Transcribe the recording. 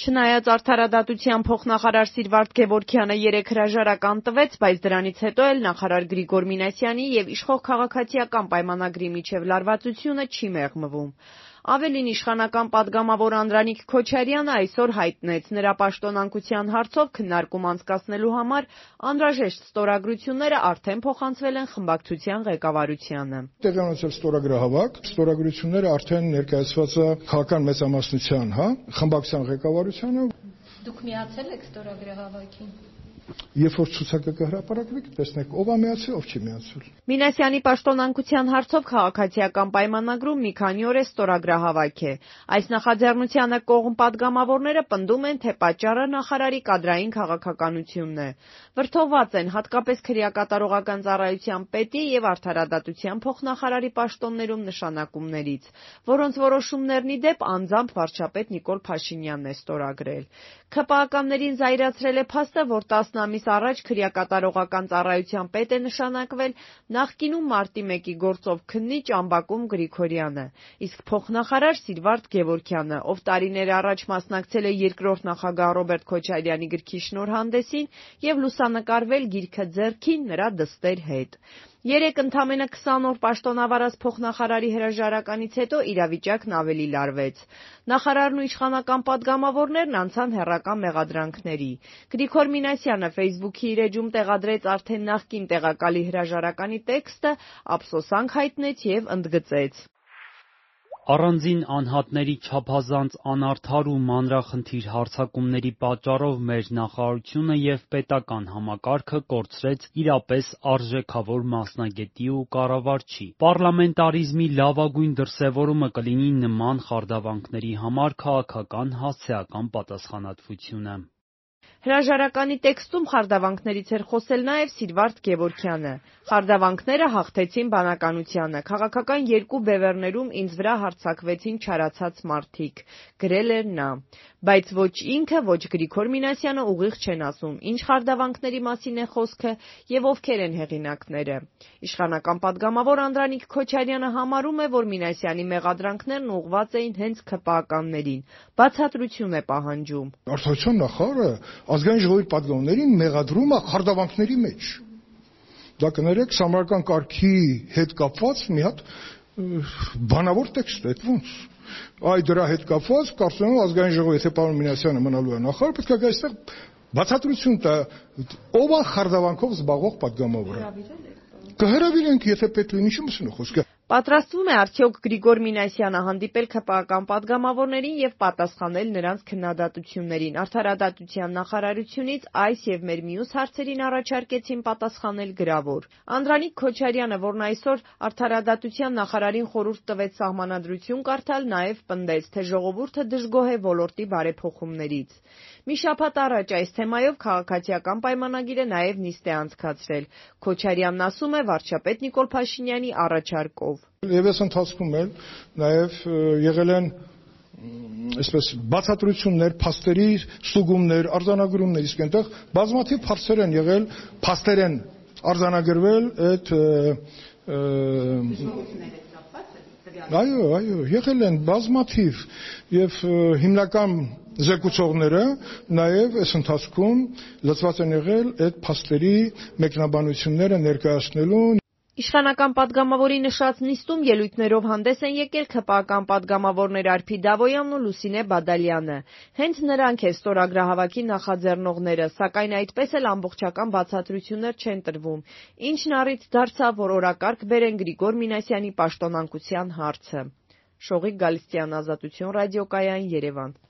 Չնայած արդարադատության փոխնախարար Սիրվարդ Գևորգյանը երեկ հրաժարական տվեց, բայց դրանից հետո էլ նախարար Գրիգոր Մինասյանի եւ իշխող քաղաքացիական պայմանագրի միջև լարվածությունը չի մեղմվում։ Ավելին, իշխանական պատգամավոր Անդրանիկ Քոչարյանը այսօր հայտնեց, նրա պաշտոնանկության հարցով քննարկում անցկացնելու համար անհրաժեշտ ստորագրությունները արդեն փոխանցվել են խմբակցության ղեկավարությանը։ Տեղի ունեցել ստորագրահավաք, ստորագրությունները արդեն ներկայացված է քաղաքական մեծամասնության, խմբակցության ղեկավարությանը։ Դուք միացել եք ստորագրահավաքին։ Երբ որ ցուցակը կհրապարակվի, կտեսնեք ով է միացել, ով չի միացել։ Մինասյանի պաշտոնանկության հարցով քաղաքացիական պայմանագրում մի քանի օր է ստորագրահավաք է։ Այս նախաձեռնությանը կողմ պատգամավորները պնդում են, թե պատճառը նախարարի կադրային քաղաքականությունն է։ Վրդովված են հատկապես քրեակատարողական ծառայության պետի եւ արդարադատության փոխնախարարի պաշտոններում նշանակումներից, որոնց որոշումներն ի դեպ անձամբ վարչապետ Նիկոլ Փաշինյանն է ստորագրել։ ՔՊԱ-ականներին զայրացրել է փաստը, որ 10 ամիս առաջ քրեակատարողական ծառայության պետ է նշանակվել նախկինում մարտի 1-ի գործով քննիչ Ամբակում Գրիգորյանը, իսկ փոխնախարար Սիրվարդ Գևորգյանը, ով տարիներ առաջ մասնակցել է երկրորդ նախագահ Ռոբերտ Քոչարյանի գրքի շնորհանդեսին եւ լուսանկարվել գիրքը ձեռքին նրա դստեր հետ։ Երեկ ընդամենը 20 օր պաշտոնավարած փոխնախարարի հրաժարականից հետո իրավիճակն ավելի լարվեց։ Նախարարն ու իշխանական պատգամավորներն անցան հեռական մեղադրանքների։ Գրիգոր Մինասյանը Facebook-ի իր էջում տեղադրեց արդեն նախկին տեղակալի հրաժարականի տեքստը, ափսոսանք հայտնեց եւ ընդգծեց. Առանձին անհատների չափազանց անարդար ու մանրախնդիր հարձակումների պատճառով մեր նախարարությունը եւ պետական համակարգը կորցրեց իրապես արժեքավոր մասնագետի ու կառավարչի։ Պառլամենտարիզմի լավագույն դրսևորումը կլինի նման խարդավանքների համար քաղաքական հասցեական պատասխանատվությունը։ Հրաժարականի տեքստում խարդավանքներից էր խոսել նաև Սիրվարդ Գևորգյանը։ Խարդավանքները հաղթեցին բանականությանը, քաղաքական երկու բևեռներում ինձ վրա հարձակվեցին չարացած մարդիկ, գրել էր նա։ Բայց ոչ ինքը, ոչ Գրիգոր Մինասյանը ուղիղ չեն ասում, ինչ խարդավանքների մասին է խոսքը եւ ովքեր են հեղինակները։ Իշխանական պատգամավոր Անդրանիկ Քոչարյանը համարում է, որ Մինասյանի մեղադրանքներն ուղղված էին հենց ՔՊԱ-ականներին, բացատրություն է պահանջում։ Արդարության նախարարը ազգային ժողովի պատգամավորներին մեղադրում է խարդավանքների մեջ։ Դա կներեք համարական կարգի հետ կապված մի հատ բանավոր տեքստ է, ոնց։ Այ դրա հետ կապված կարծում եմ ազգային ժողովի, եթե պարոն Մինասյանը մնալու է նախարար, պետք է գա այստեղ բացատրություն տա, ով է խարդավանքով զբաղվող պատգամավորը։ Կհրավիրենք, եթե պետք լինի, ինչու՞ մսնու խոսքը։ Պատրաստվում է արդյոք Գրիգոր Մինասյանը հանդիպել ՔՊԱ-ական պատգամավորներին եւ պատասխանել նրանց քննադատություններին։ Արդարադատության նախարարությունից այս եւ մեր մյուս հարցերին առաջարկեցին պատասխանել գրավոր։ Անդրանիկ Քոչարյանը, որն այսօր արդարադատության նախարարին խորհուրդ տվեց սահմանադրություն կարդալ, նաեւ պնդեց, թե ժողովուրդը դժգոհ է ոլորտի բարեփոխումներից։ Մի շաբաթ առաջ այս թեմայով քաղաքացիական պայմանագիրը նաեւ նիստ է անցկացրել։ Քոչարյանն ասում է վարչապետ Նիկոլ Փաշինյանի առաջարկով։ Եվ այս ընթացքում էլ նաև եղել են այսպես բացատրություններ, փաստերի ստուգումներ, արձանագրումներ, իսկ այնտեղ բազմաթիվ փաստեր են եղել, փաստեր են արձանագրվել այդ Այո, եղել են բազմաթիվ եւ հիմնական զեկուցողները նաև այս ընթացքում լծված են եղել այդ փաստերի մեկնաբանությունները ներկայացնելու։ Իշխանական պատգամավորի նշած նիստում ելույթներով հանդես են եկել ՔՊԱ-ական պատգամավորներ Արփի Դավոյանն ու Լուսինե Բադալյանը։ Հենց նրանք են ստորագրահավաքի նախաձեռնողները, սակայն այդպես էլ ամբողջական բացատրություններ չեն տրվում, ինչն առիթ դարձավ, որ օրակարգ բերեն Գրիգոր Մինասյանի պաշտոնանկության հարցը։ Շողիկ Գալստյան, Ազատություն ռադիոկայան, Երևան։